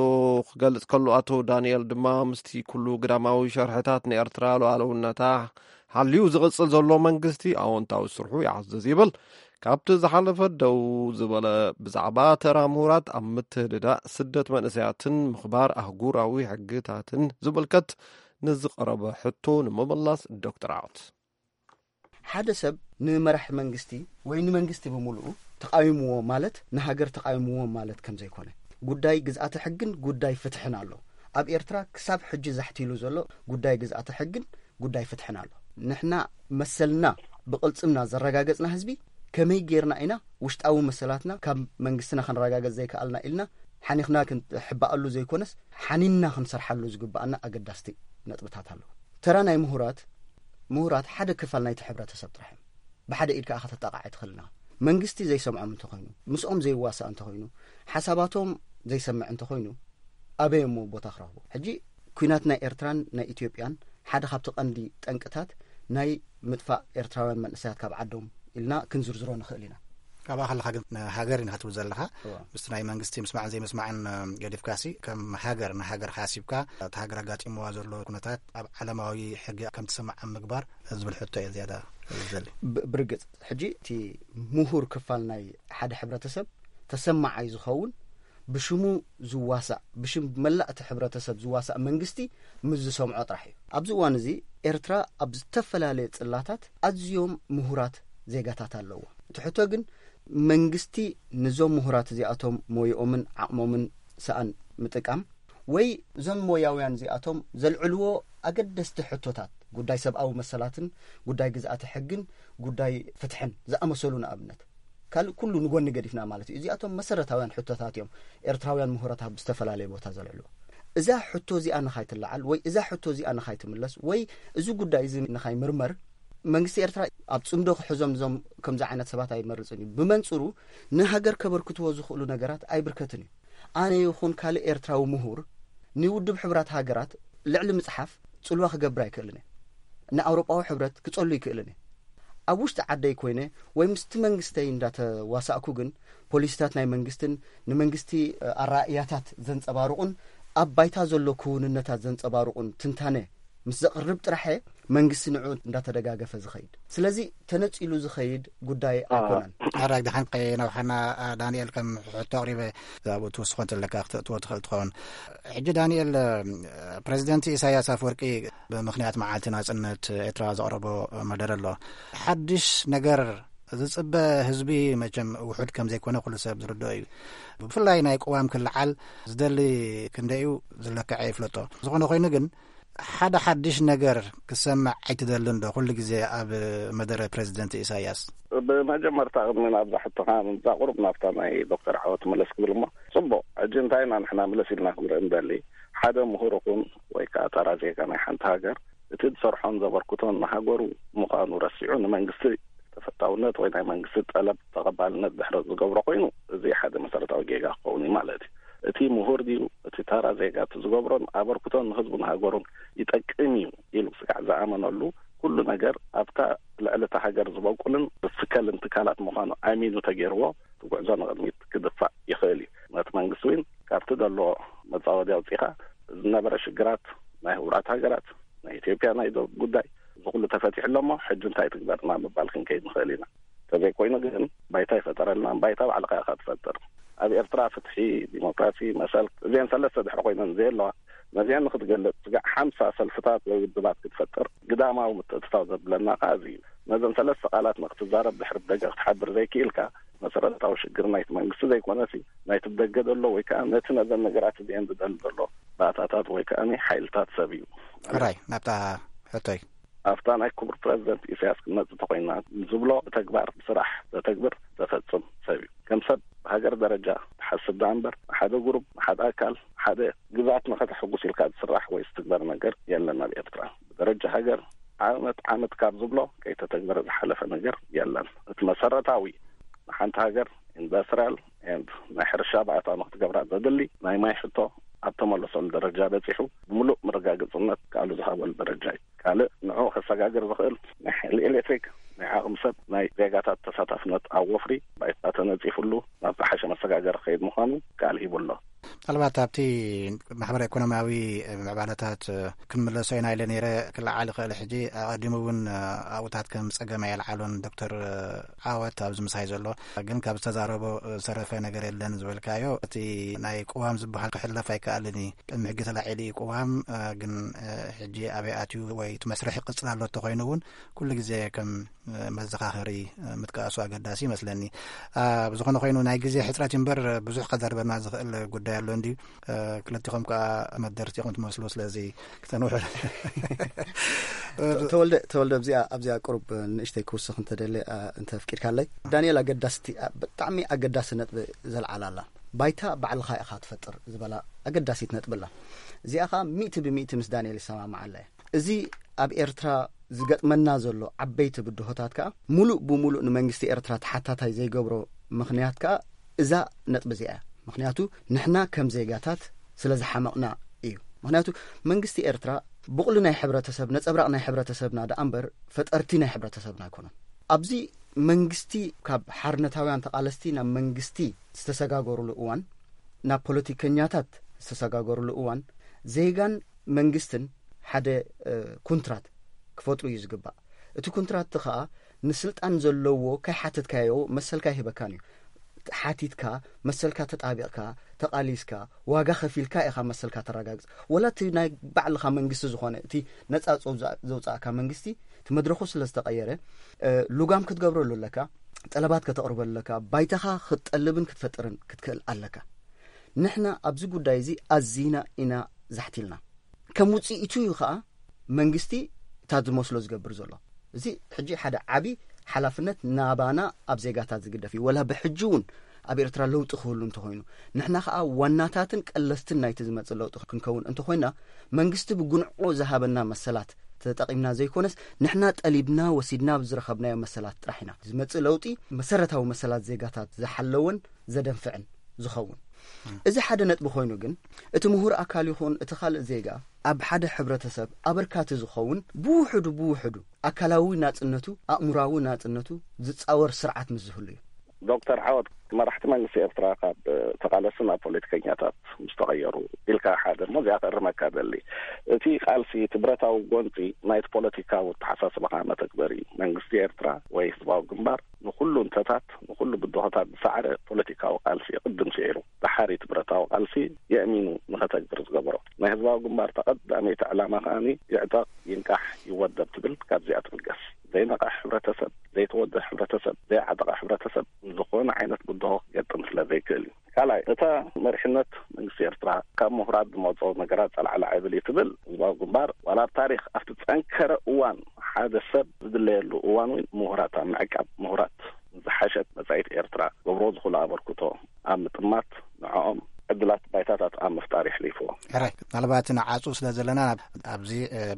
ክገልጽ ከሎ፣ ኣቶ ዳንኤል ድማ ምስቲ ኩሉ ግዳማዊ ሸርሕታት ንኤርትራ ሉዓላውነታ ሓልዩ ዝቕጽል ዘሎ መንግስቲ ኣወንታዊ ስርሑ ይዓዝዝ ይብል። ካብቲ ዝሓለፈ ደው ዝበለ ብዛዕባ ተራ ምሁራት ኣብ ምትህድዳእ ስደት መንእሰያትን ምኽባር ኣህጉራዊ ሕግታትን ዝምልከት ንዝቐረበ ሕቶ ንምምላስ ዶክተር ዓወት። ሓደ ሰብ ንመራሒ መንግስቲ ወይ ንመንግስቲ ብምሉኡ ተቃዊምዎ ማለት ንሃገር ተቃዊምዎ ማለት ከም ዘይኮነ፣ ጉዳይ ግዝኣተ ሕግን ጉዳይ ፍትሕን ኣሎ። ኣብ ኤርትራ ክሳብ ሕጂ ዛሕቲሉ ዘሎ ጉዳይ ግዝኣተ ሕግን ጉዳይ ፍትሕን ኣሎ። ንሕና መሰልና ብቕልጽምና ዘረጋገጽና ህዝቢ ከመይ ጌርና ኢና ውሽጣዊ መሰላትና ካብ መንግስትና ክንረጋገጽ ዘይከኣልና ኢልና ሓኒኽና ክንሕባኣሉ ዘይኮነስ ሓኒንና ክንሰርሓሉ ዝግባኣና ኣገዳስቲ ነጥብታት ኣለዉ። ተራ ናይ ምሁራት፣ ምሁራት ሓደ ክፋል ናይቲ ሕብረተሰብ ጥራሕ እዮም። ብሓደ ኢድ ከኣ ከተጣቕዓ ኣይትኽእልና። መንግስቲ ዘይሰምዖም እንተኾይኑ፣ ምስኦም ዘይዋሳእ እንተኾይኑ፣ ሓሳባቶም ዘይሰምዕ እንተኾይኑ፣ ኣበይ እሞ ቦታ ክረኽቡ? ሕጂ ኲናት ናይ ኤርትራን ናይ ኢትዮጵያን ሓደ ካብቲ ቀንዲ ጠንቅታት ናይ ምጥፋእ ኤርትራውያን መንእሰያት ካብ ዓዶም ኢልና ክንዝርዝሮ ንኽእል ኢና። ካብኣ ከለኻ ግን ንሃገር ኢና ክትብል ዘለኻ። እዋ። ምስቲ ናይ መንግስቲ ምስማዕን ዘይምስማዕን፣ እ፣ ገዲፍካሲ ከም ሃገር ንሃገር ሓሲብካ እቲ ሃገር ኣጋጢምዋ ዘሎ ኩነታት ኣብ ዓለማዊ ሕጊ ከም ትስማዕ ኣብ ምግባር ዝብል ሕቶ እየ ዝያዳ ዝደሊ። ብ-፣ ብርግጽ ሕጂ እቲ ምሁር ክፋል ናይ ሓደ ሕብረተሰብ ተሰማዓይ ዝኸውን ብሽሙ ዝዋሳእ፣ ብሽም መላእ እቲ ሕብረተሰብ ዝዋሳእ መንግስቲ ምስ ዝሰምዖ ጥራሕ እዩ። ኣብዚ እዋን እዚ ኤርትራ ኣብ ዝተፈላለየ ጽላታት ኣዝዮም ምሁራት ዜጋታት ኣለዎ። እቲ ሕቶ ግን መንግስቲ ንዞም ምሁራት እዚኣቶም ሞይኦምን ዓቕሞምን ሰኣን ምጥቃም ወይ እዞም ሞያውያን እዚኣቶም ዘልዕልዎ ኣገደስቲ ሕቶታት ጉዳይ ሰብኣዊ መሰላትን ጉዳይ ግዝኣተ ሕግን ጉዳይ ፍትሕን ዝኣመሰሉ ንኣብነት ካልእ ኩሉ ንጎኒ ገዲፍና ማለት እዩ። እዚኣቶም መሰረታውያን ሕቶታት እዮም ኤርትራውያን ምሁራት ኣብ ዝተፈላለየ ቦታ ዘልዕልዎ። እዛ ሕቶ እዚኣ ንኻይትለዓል ወይ እዛ ሕቶ እዚኣ ንኻይትምለስ ወይ እዚ ጉዳይ እዚ ንኻይምርመር መንግስቲ ኤርትራ ኣብ ጽምዶ ክሕዞም እዞም ከምዚ ዓይነት ሰባት ኣይመርጽን እዩ። ብመንጽሩ ንሃገር ከበርክትዎ ዝኽእሉ ነገራት ኣይብርከትን እዩ። ኣነ ይኹን ካልእ ኤርትራዊ ምሁር ንውድብ ሕብራት ሃገራት ልዕሊ ምጽሓፍ ጽልዋ ክገብር ኣይክእልን እየ። ንኣውሮጳዊ ሕብረት ክጸሉ ይክእልን እየ። ኣብ ውሽጢ ዓደይ ኮይነ ወይ ምስቲ መንግስተይ እንዳተዋሳእኩ ግን ፖሊሲታት ናይ መንግስትን ንመንግስቲ፣ እ፣ ኣራእያታት ዘንጸባርቑን ኣብ ባይታ ዘሎ ክውንነታት ዘንጸባርቑን ትንታነ ምስ ዘቕርብ ጥራሐ መንግስቲ ንዑ እንዳተደጋገፈ ዝኸይድ። ስለዚ ተነጺሉ ዝኸይድ ጉዳይ ኣይኮነን። ኣራግ ደሓን ከየናውሓና፣ ዳንኤል ከም ሕቶ ኣቕሪበ ኣብኡ ትውስኾ እንተለካ ክትእትዎ ትኽእል ትኸውን። ሕጂ ዳንኤል፣ ፕሬዚደንት ኢሳያስ ኣፈወርቂ ብምኽንያት መዓልቲ ናጽነት ኤርትራ ዘቕረቦ መደረ ኣሎ። ሓድሽ ነገር ዝጽበ ህዝቢ መቸም ውሑድ ከም ዘይኮነ ኩሉ ሰብ ዝርድኦ እዩ። ብፍላይ ናይ ቅዋም ክለዓል ዝደሊ ክንደዩ ዝለክዐ ይፍለጦ። ዝኾነ ኮይኑ ግን ሓደ ሓድሽ ነገር ክሰምዕ ኣይትደልን ዶ ኩሉ ግዜ ኣብ መደረ ፕሬዚደንት ኢሳያስ? ብመጀመርታ ቅድሚ ናብዛ ሕቶኻ ምምጻእ ቁሩብ ናብታ ናይ ዶክተር ዓወት መለስ ክብል እሞ፣ ጽቡቕ፣ ሕጂ እንታይ ኢና ንሕና ምለስ ኢልና ክንርኢ ንደሊ? ሓደ ምሁር ይኹን ወይ ከኣ ተራ ዜጋ ናይ ሓንቲ ሃገር እቲ ዝሰርሖን ዘበርክቶን ንሃገሩ ምዃኑ ረሲዑ ንመንግስቲ ተፈታውነት ወይ ናይ መንግስቲ ጠለብ ተቐባልነት ድሕረት ዝገብሮ ኮይኑ፣ እዚ ሓደ መሰረታዊ ጌጋ ክኸውን እዩ ማለት እዩ። እቲ ምሁር ድዩ እቲ ተራ ዜጋ እቲ ዝገብሮን ኣበርክቶን ንህዝቡን ሃገሩን ይጠቅም እዩ ኢሉ ስጋዕ ዝኣመነሉ ኩሉ ነገር ኣብታ ልዕሊ እታ ሃገር ዝበቁልን ዝትከልን ትካላት ምዃኑ ኣሚኑ ተገይርዎ እቲ ጉዕዞ ንቕድሚት ክድፋእ ይኽእል እዩ። ነቲ መንግስቲ እውን ካብቲ ዘለዎ መጻወዲ ኣውጺኻ ዝነበረ ሽግራት ናይ ህቡራት ሃገራት ናይ ኢትዮጵያ ናይ ዶብ ጉዳይ እዚ ኩሉ ተፈቲሑ ኣሎ እሞ ሕጂ እንታይ ትግበርና ምባል ክንከይድ ንኽእል ኢና። እንተዘይኮይኑ ግን ባይታ ይፈጠረልና፣ ባይታ ባዕልኻ ኢኻ ትፈጥር። ኣብ ኤርትራ ፍትሒ፣ ዲሞክራሲ፣ መሰል እዚአን ሰለስተ ድሕሪ ኮይነን ዘየለዋ ነዚአን ንክትገልጽ ስጋዕ ሓምሳ ሰልፍታት ወይ ውድባት ክትፈጥር ግዳማዊ ምትእትታው ዘብለና ከኣ እዚ እዩ። ነዘን ሰለስተ ቃላት ንክትዛረብ ድሕሪ ብደገ ክትሓብር ዘይክኢልካ መሰረታዊ ሽግር ናይቲ መንግስቲ ዘይኮነሲ፣ ናይቲ ብደገ ዘሎ ወይ ከዓ ነቲ ነዘን ነገራት እዚአን ዝደሊ ዘሎ ባእታታት ወይ ከዓ ሓይልታት ሰብ እዩ። ራይ ናብታ ሕቶይ ኣብታ ናይ ክቡር ፕረዚደንት ኢሳያስ ክንመጽእ ተኮይና፣ ዝብሎ ብተግባር ብስራሕ ዘተግብር ዘፈጽም ሰብ እዩ። ከም ሰብ ሃገር ደረጃ ትሓስብ ደኣ እምበር፣ ሓደ ጉሩብ፣ ሓደ ኣካል፣ ሓደ ግዛት ንኸተሕጉስ ኢልካ ዝስራሕ ወይ ዝትግበር ነገር የለን ኣብ ኤርትራ። ብደረጃ ሃገር ዓመት ዓመት ካብ ዝብሎ ከይተተግበረ ዝሓለፈ ነገር የለን። እቲ መሰረታዊ ንሓንቲ ሃገር ኢንዱስትሪያል ኤንድ ናይ ሕርሻ ባእታ ንክትገብራ ዘድሊ ናይ ማይ ሕቶ ኣብ ተመለሰሉ ደረጃ በጺሑ፣ ብምሉእ መረጋገጽነት ቃሉ ዝሃበሉ ደረጃ እዩ። ካልእ ንዕኡ ከሰጋግር ዝኽእል ናይ ሓይሊ ኤሌክትሪክ፣ ናይ ዓቕሚ ሰብ፣ ናይ ዜጋታት ተሳታፍነት ኣብ ወፍሪ ባይታ ተነጺፍሉ ናብ ዝሓሸ መሰጋገሪ ክኸይድ ምዃኑ ቃል ሂቡ ኣሎ። ምናልባት ኣብቲ ማሕበረ ኢኮኖሚያዊ ምዕባለታት ክንምለሶ ኢና ኢለ ነይረ። ክለዓል ይኽእል። ሕጂ ኣቐዲሙ እውን ኣብኡታት ከም ጸገም ኣየልዓሎን ዶክተር ዓወት ኣብዚ ምሳይ ዘሎ። ግን ካብ ዝተዛረቦ ዝተረፈ ነገር የለን ዝበልካዮ፣ እቲ ናይ ቅዋም ዝበሃል ክሕለፍ ኣይከኣልን እዩ። ቅድሚ ሕጊ ተላዒሉ እዩ ቅዋም። ግን ሕጂ ኣበይ ኣትዩ ወይ እቲ መስርሕ ይቕጽል ኣሎ እንተኾይኑ እውን ኩሉ ግዜ ከም መዘኻኸሪ ምጥቃሱ ኣገዳሲ ይመስለኒ። ብዝኾነ ኮይኑ ናይ ግዜ ሕጽረት እምበር ብዙሕ ከዛርበና ዝኽእል ጉዳይ ኣሎ እንድዩ። ክልቲኹም ከዓ መደርቲ ኢኹም ትመስሉ፣ ስለዚ ክተንውሑ። ተወልደ ተወልደ ኣብዚኣ ኣብዚኣ ቅሩብ ንእሽተይ ክውስኽ እንተደለ እንተፍቂድካለይ። ዳንኤል ኣገዳስቲ ብጣዕሚ ኣገዳሲ ነጥቢ ዘልዓላ ኣላ። ባይታ ባዕልኻ ኢኻ ትፈጥር ዝበላ ኣገዳሲት ነጥቢ ኣላ። እዚኣ ኸዓ ሚእቲ ብሚእቲ ምስ ዳንኤል ይሰማማዓላ እየ። እዚ ኣብ ኤርትራ ዝገጥመና ዘሎ ዓበይቲ ብድሆታት ከኣ ምሉእ ብምሉእ ንመንግስቲ ኤርትራ ተሓታታይ ዘይገብሮ ምኽንያት ከኣ እዛ ነጥቢ እዚኣ እያ። ምኽንያቱ ንሕና ከም ዜጋታት ስለ ዝሓመቕና እዩ። ምኽንያቱ መንግስቲ ኤርትራ ብቑሊ ናይ ሕብረተሰብ ነጸብራቕ ናይ ሕብረተሰብና ደኣ እምበር ፈጠርቲ ናይ ሕብረተሰብና ኣይኮኑን። ኣብዚ መንግስቲ ካብ ሓርነታውያን ተቓለስቲ ናብ መንግስቲ ዝተሰጋገሩሉ እዋን፣ ናብ ፖለቲከኛታት ዝተሰጋገሩሉ እዋን ዜጋን መንግስትን ሓደ ኩንትራት ክፈጥሩ እዩ ዝግባእ። እቲ ኩንትራት እቲ ኸኣ ንስልጣን ዘለዎ ከይሓተትካዮ መሰልካ ኣይህበካን እዩ። ሓቲትካ መሰልካ ተጣቢቕካ ተቓሊስካ ዋጋ ከፊልካ ኢኻ መሰልካ ተረጋግጽ። ወላ እቲ ናይ ባዕልኻ መንግስቲ ዝኾነ እቲ ነጻ ዘውጻእካ መንግስቲ እቲ መድረኹ ስለ ዝተቐየረ ልጓም ክትገብረሉ ኣለካ፣ ጠለባት ከተቕርበሉ ኣለካ፣ ባይታኻ ክትጠልብን ክትፈጥርን ክትክእል ኣለካ። ንሕና ኣብዚ ጉዳይ እዚ ኣዚና ኢና ዛሕቲልና። ከም ውጽኢቱ እዩ ኸኣ መንግስቲ እታ ዝመስሎ ዝገብር ዘሎ። እዚ ሕጂ ሓደ ዓቢ ሓላፍነት ናባና ኣብ ዜጋታት ዝግደፍ እዩ። ወላ ብሕጂ እውን ኣብ ኤርትራ ለውጢ ክህሉ እንተኾይኑ ንሕና ኸኣ ዋናታትን ቀለስትን ናይቲ ዝመጽእ ለውጢ ክንከውን እንተኾይና መንግስቲ ብጉንዕኡ ዝሃበና መሰላት ተጠቒምና ዘይኮነስ ንሕና ጠሊብና ወሲድና ኣብ ዝረኸብናዮ መሰላት ጥራሕ ኢና። ዝመጽእ ለውጢ መሰረታዊ መሰላት ዜጋታት ዝሓለወን ዘደንፍዕን ዝኸውን። እዚ ሓደ ነጥቢ ኮይኑ ግን እቲ ምሁር ኣካል ይኹን እቲ ካልእ ዜጋ ኣብ ሓደ ሕብረተሰብ ኣበርካቲ ዝኸውን ብውሕዱ ብውሕዱ ኣካላዊ ናጽነቱ ኣእምራዊ ናጽነቱ ዝጻወር ስርዓት ምስ ዝህሉ እዩ። ዶክተር ዓወት፣ መራሕቲ መንግስቲ ኤርትራ ካብ ተቓለስቲ ናብ ፖለቲከኛታት ምስ ተቐየሩ ኢልካ ሓደ እሞ እዚኣ ክእርመካ ደሊ። እቲ ቃልሲ እቲ ብረታዊ ጎንፂ ናይቲ ፖለቲካዊ ኣተሓሳስባኻ መተግበሪ መንግስቲ ኤርትራ ወይ ህዝባዊ ግንባር ንኹሉ እንተታት ንኹሉ ብድሆታት ዝሰዓረ ፖለቲካዊ ቃልሲ ቅድም ስዒሩ ድሓር እቲ ብረታዊ ቃልሲ የእሚኑ ንኸተግብር ዝገበሮ ናይ ህዝባዊ ግንባር ተቐዳመይቲ ዕላማ ከኣ ይዕጠቕ ይንቃሕ ይወደብ ትብል ካብዚኣ ትብገስ። ዘይነቕሐ ሕብረተሰብ ዘይተወደ ሕብረተሰብ ዘይዓጠቐ ሕብረተሰብ ዝኾነ ዓይነት ብድሆ ክገጥም ስለ ዘይክእል እዩ። ካልኣይ እታ መሪሕነት መንግስቲ ኤርትራ ካብ ምሁራት ዝመፅኦ ነገራት ፀላዕላዕ ይብል እዩ ትብል ህዝባዊ ግንባር ዋላ ኣብ ታሪክ ኣብቲ ዝፀንከረ እዋን ሓደ ሰብ ዝድለየሉ እዋን እውን ምሁራት ኣብ ምዕቃብ ምሁራት ዝሓሸት መፃኢት ኤርትራ ገብሮ ዝኽእሉ ኣበርክቶ ኣብ ምጥማት ንዕኦም ዕድላት ባይታታት ኣብ ምፍጣር የሕሊፍዎ። ሕራይ ምናልባት ንዓፁ ስለ ዘለና ኣብዚ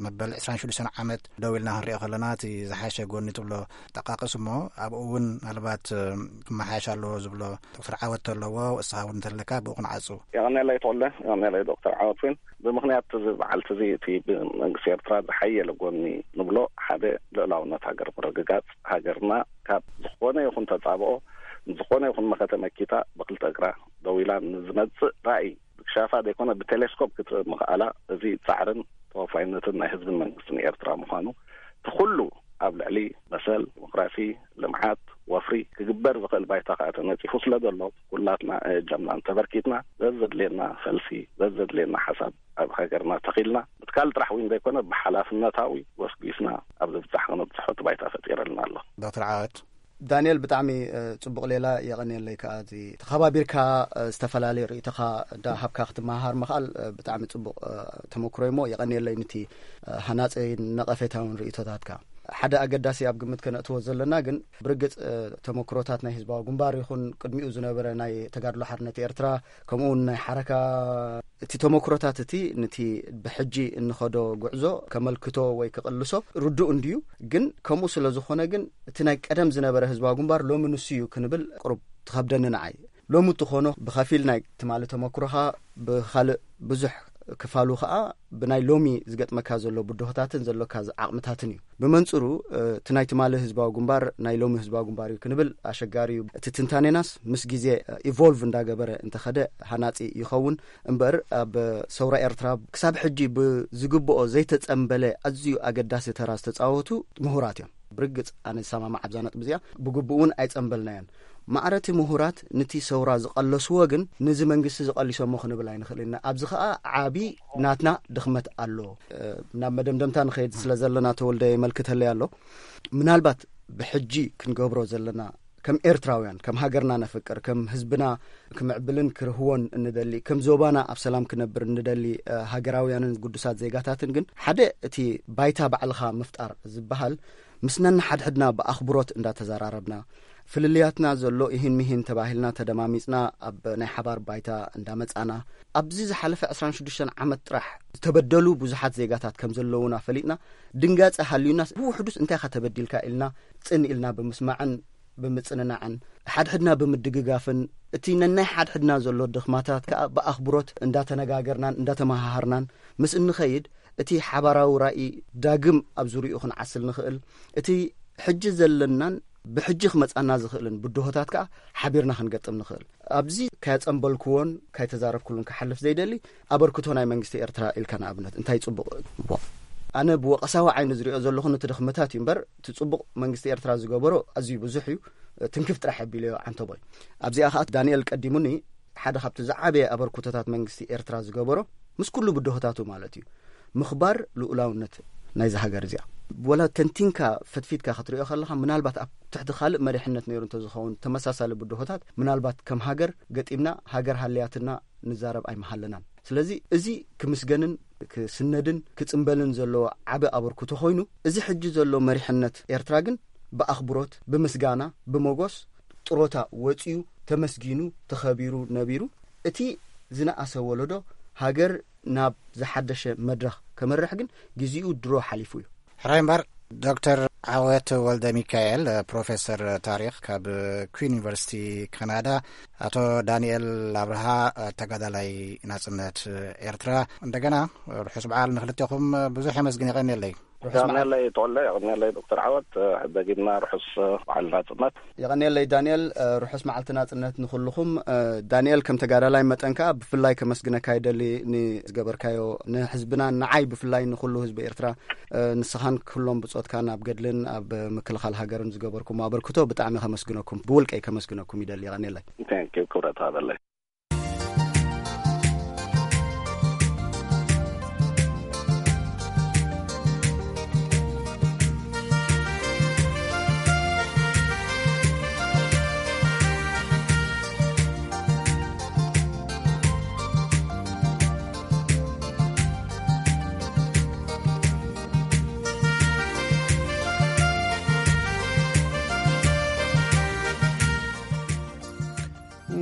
መበል ዕስራን ሽዱሽተን ዓመት ደው ኢልና ክንሪኦ ከለና እቲ ዝሓሸ ጎኒ ትብሎ ጠቃቅስ እሞ ኣብኡ እውን ምናልባት ክመሓየሽ ኣለዎ ዝብሎ ዶክተር ዓወት ተለዎ እስኻ እውን እንተለካ ብኡ ክንዓፁ። የቐኔለይ ተወለ። የቐኔለይ ዶክተር ዓወት እውን ብምክንያት እዚ በዓልቲ እዚ እቲ ብመንግስቲ ኤርትራ ዝሓየለ ጎኒ ንብሎ ሓደ ልእላውነት ሃገር ምርግጋፅ ሃገርና ካብ ዝኾነ ይኹን ተፃብኦ ዝኾነ ይኹን መኸተ መኪታ ብክልተ እግራ ደው ኢላ ንዝመፅእ ራእይ ብክሻፋ ዘይኮነ ብቴሌስኮፕ ክትርኢ ምኽኣላ እዚ ፃዕርን ተወፋይነትን ናይ ህዝብን መንግስትን ኤርትራ ምዃኑ እቲ ኩሉ ኣብ ልዕሊ መሰል ዲሞክራሲ ልምዓት ወፍሪ ክግበር ዝኽእል ባይታ ከዓ ተነፂፉ ስለ ዘሎ ኩላትና እጃምና እንተበርኪትና ዘዘድልየና ፈልሲ ዘዘድልየና ሓሳብ ኣብ ሃገርና ተኺልና ምትካል ጥራሕ እውን ዘይኮነ ብሓላፍነታዊ ወስቢስና ኣብ ዝብፃሕ ክነብፅሖ እቲ ባይታ ፈጢረልና ኣሎ። ዶክተር ዓወት ዳንኤል፣ ብጣዕሚ ጽቡቕ ሌላ፣ የቐንየለይ ከኣ። እዚ ተኸባቢርካ ዝተፈላለየ ርእይቶኻ እንዳሃብካ ክትመሃር ምኽኣል ብጣዕሚ ጽቡቕ ተመክሮ እሞ፣ የቐንየለይ ንቲ ሃናጺን ነቐፌታውን ርእይቶታትካ። ሓደ ኣገዳሲ ኣብ ግምት ከነእትዎ ዘለና ግን፣ ብርግጽ ተመክሮታት ናይ ህዝባዊ ግንባር ይኹን ቅድሚኡ ዝነበረ ናይ ተጋድሎ ሓርነት ኤርትራ፣ ከምኡ እውን ናይ ሓረካ፣ እቲ ተመክሮታት እቲ ነቲ ብሕጂ እንኸዶ ጉዕዞ ከመልክቶ ወይ ክቕልሶ ርዱእ እንድዩ። ግን ከምኡ ስለ ዝኾነ ግን፣ እቲ ናይ ቀደም ዝነበረ ህዝባዊ ግንባር ሎሚ ንሱ እዩ ክንብል ቅሩብ ትኸብደኒ ንዓይ። ሎሚ እትኾኖ ብኸፊል ናይ ትማሊ ተመክሮኻ፣ ብኻልእ ብዙሕ ክፋሉ ኸኣ ብናይ ሎሚ ዝገጥመካ ዘሎ ብድሆታትን ዘሎካ ዓቕምታትን እዩ። ብመንጽሩ እቲ ናይ ትማሊ ህዝባዊ ግንባር ናይ ሎሚ ህዝባዊ ግንባር እዩ ክንብል ኣሸጋሪ እዩ። እቲ ትንታኔናስ ምስ ግዜ ኢቮልቭ እንዳገበረ እንተኸደ ሃናጺ ይኸውን። እምበር ኣብ ሰውራ ኤርትራ ክሳብ ሕጂ ብዝግብኦ ዘይተጸንበለ ኣዝዩ ኣገዳሲ ተራ ዝተጻወቱ ምሁራት እዮም። ብርግጽ ኣነ ዝሰማማዕ ኣብዛ ነጥቢ እዚኣ። ብግቡእ እውን ኣይጸንበልናዮን። ማዕረቲ ምሁራት ንቲ ሰውራ ዝቐለስዎ ግን፣ ንዚ መንግስቲ ዝቐሊሶሞ ክንብል ኣይንኽእል ኢና። ኣብዚ ኸኣ ዓቢ ናትና ድኽመት ኣሎ። ናብ መደምደምታ ንኸይድ ስለ ዘለና፣ ተወልደ የመልክተለይ ኣሎ። ምናልባት ብሕጂ ክንገብሮ ዘለና፣ ከም ኤርትራውያን፣ ከም ሃገርና ነፍቅር፣ ከም ህዝብና ክምዕብልን ክርህዎን እንደሊ፣ ከም ዞባና ኣብ ሰላም ክነብር እንደሊ ሃገራውያንን ግዱሳት ዜጋታትን ግን፣ ሓደ እቲ ባይታ ባዕልኻ ምፍጣር ዝበሃል፣ ምስ ነንሓድሕድና ብኣኽብሮት እንዳተዘራረብና፣ ፍልልያትና ዘሎ ይህን ሚህን ተባሂልና ተደማሚጽና ኣብ ናይ ሓባር ባይታ እንዳመጻና፣ ኣብዚ ዝሓለፈ ዕስራን ሽዱሽተን ዓመት ጥራሕ ዝተበደሉ ብዙሓት ዜጋታት ከም ዘለዉና ፈሊጥና፣ ድንጋጸ ሃልዩና፣ ብውሕዱስ እንታይ ኢኻ ተበዲልካ ኢልና ጽን ኢልና ብምስማዕን ብምጽንናዕን፣ ሓድሕድና ብምድግጋፍን፣ እቲ ነናይ ሓድሕድና ዘሎ ድኽማታት ከኣ ብኣኽብሮት እንዳተነጋገርናን እንዳተመሃሃርናን ምስ እንኸይድ፣ እቲ ሓባራዊ ራእይ ዳግም ኣብ ዙሪኡ ክንዓስል ንኽእል፣ እቲ ሕጂ ዘለናን ብሕጂ ክመጻና ዝኽእልን ብድሆታት ከኣ ሓቢርና ክንገጥም ንኽእል። ኣብዚ ካየጸንበልክዎን ካይተዛረብክሉን ክሓልፍ ዘይደሊ፣ ኣበርክቶ ናይ መንግስቲ ኤርትራ ኢልካ ንኣብነት እንታይ ጽቡቕ እዎ? ኣነ ብወቐሳዊ ዓይኒ ዝሪኦ ዘለኹ ነቲ ድኽመታት እዩ እምበር፣ እቲ ጽቡቕ መንግስቲ ኤርትራ ዝገበሮ ኣዝዩ ብዙሕ እዩ። ትንክፍ ጥራሕ ኣቢለዮ ዓንተቦይ። ኣብዚኣ ከኣ ዳንኤል ቀዲሙኒ፣ ሓደ ካብቲ ዝዓበየ ኣበርክቶታት መንግስቲ ኤርትራ ዝገበሮ፣ ምስ ኩሉ ብድሆታቱ ማለት እዩ፣ ምኽባር ልኡላውነት ናይዛ ሃገር እዚኣ። ወላ ተንቲንካ ፈትፊትካ ክትሪኦ ከለኻ፣ ምናልባት ኣብ ትሕቲ ካልእ መሪሕነት ነይሩ እንተዝኸውን፣ ተመሳሳሊ ብድሆታት ምናልባት ከም ሃገር ገጢምና፣ ሃገር ሃልያትና ንዛረብ ኣይምሃለናን። ስለዚ እዚ ክምስገንን ክስነድን ክጽንበልን ዘለዎ ዓቢ ኣበርክቶ ኮይኑ፣ እዚ ሕጂ ዘሎ መሪሕነት ኤርትራ ግን ብኣኽብሮት፣ ብምስጋና፣ ብመጎስ ጥሮታ ወጺኡ፣ ተመስጊኑ፣ ተኸቢሩ ነቢሩ፣ እቲ ዝነኣሰ ወለዶ ሃገር ናብ ዝሓደሸ መድረኽ ከመርሕ ግን ግዜኡ ድሮ ሓሊፉ እዩ። ሕራይ እምበር፣ ዶክተር ዓወት ወልደ ሚካኤል፣ ፕሮፌሰር ታሪኽ ካብ ኩዊን ዩኒቨርሲቲ ካናዳ፣ ኣቶ ዳንኤል ኣብርሃ፣ ተጋዳላይ ናጽነት ኤርትራ፣ እንደገና ርሑስ በዓል ንክልቴኹም። ብዙሕ የመስግን፣ የቐንየለይ። ርሑስ መዓልቲ። የቐንየለይ ተወልደ፣ የቐንየለይ ዶክተር ዓወት፣ ደጊምና ርሑስ በዓል ናጽነት። የቐንየለይ ዳንኤል፣ ርሑስ መዓልቲ ናጽነት ንኹልኹም። ዳንኤል፣ ከም ተጋዳላይ መጠን ከኣ ብፍላይ ከመስግነካ ይደሊ፣ ንዝገበርካዮ ንህዝብና፣ ንዓይ ብፍላይ ንኹሉ ህዝቢ ኤርትራ፣ ንስኻን ኩሎም ብጾትካን ኣብ ገድልን ኣብ ምክልኻል ሃገርን ዝገበርኩሞ ኣበርክቶ ብጣዕሚ ከመስግነኩም፣ ብውልቀይ ከመስግነኩም ይደሊ። የቐንየለይ። Thank you፣ ክብረት ሃበለይ።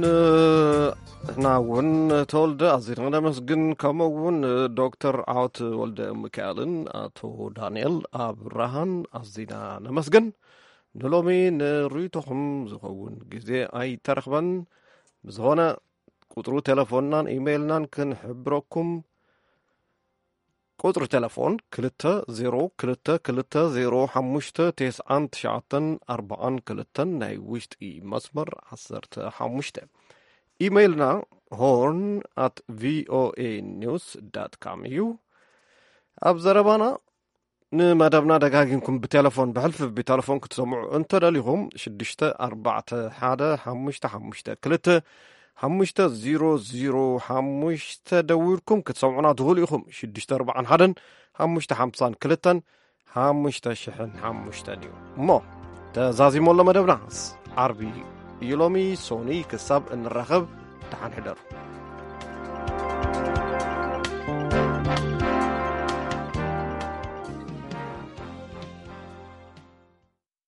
ንሕና እውን ተወልደ ኣዚና ነመስግን፣ ከምኡ እውን ዶክተር ዓወት ወልደ ሚካኤልን ኣቶ ዳንኤል ኣብርሃን ኣዚና ነመስግን። ንሎሚ ንርእይቶኹም ዝኸውን ግዜ ኣይተረኽበን። ብዝኾነ፣ ቁጽሩ ቴሌፎንናን ኢሜይልናን ክንሕብረኩም። ቁጽሪ ቴሌፎን ክልተ ዜሮ ክልተ ክልተ ዜሮ ሓሙሽተ ተስዓን ትሽዓተን ኣርባዓን ክልተን፣ ናይ ውሽጢ መስመር ዓሰርተ ሓሙሽተ። ኢሜይልና ሆርን ኣት ቪኦኤ ኒውስ ዳት ካም እዩ። ኣብ ዘረባና ንመደብና ደጋጊምኩም ብቴሌፎን፣ ብሕልፊ ብቴሌፎን ክትሰምዑ እንተደሊኹም፣ ሽዱሽተ ኣርባዕተ ሓደ ሓሙሽተ ሓሙሽተ ክልተ ሓሙሽተ ዜሮ ዜሮ ሓሙሽተ ደዊልኩም ክትሰምዑና ትኽእሉ ኢኹም። ሽዱሽተ ኣርባዓን ሓደን ሓሙሽተ ሓምሳን ክልተን ሓሙሽተ ሽሕን ሓሙሽተን እዩ። እሞ ተዛዚሙ ኣሎ መደብናስ ዓርቢ እዩ ሎሚ። ሶኒ ክሳብ እንራኸብ ደሓን ሕደሩ።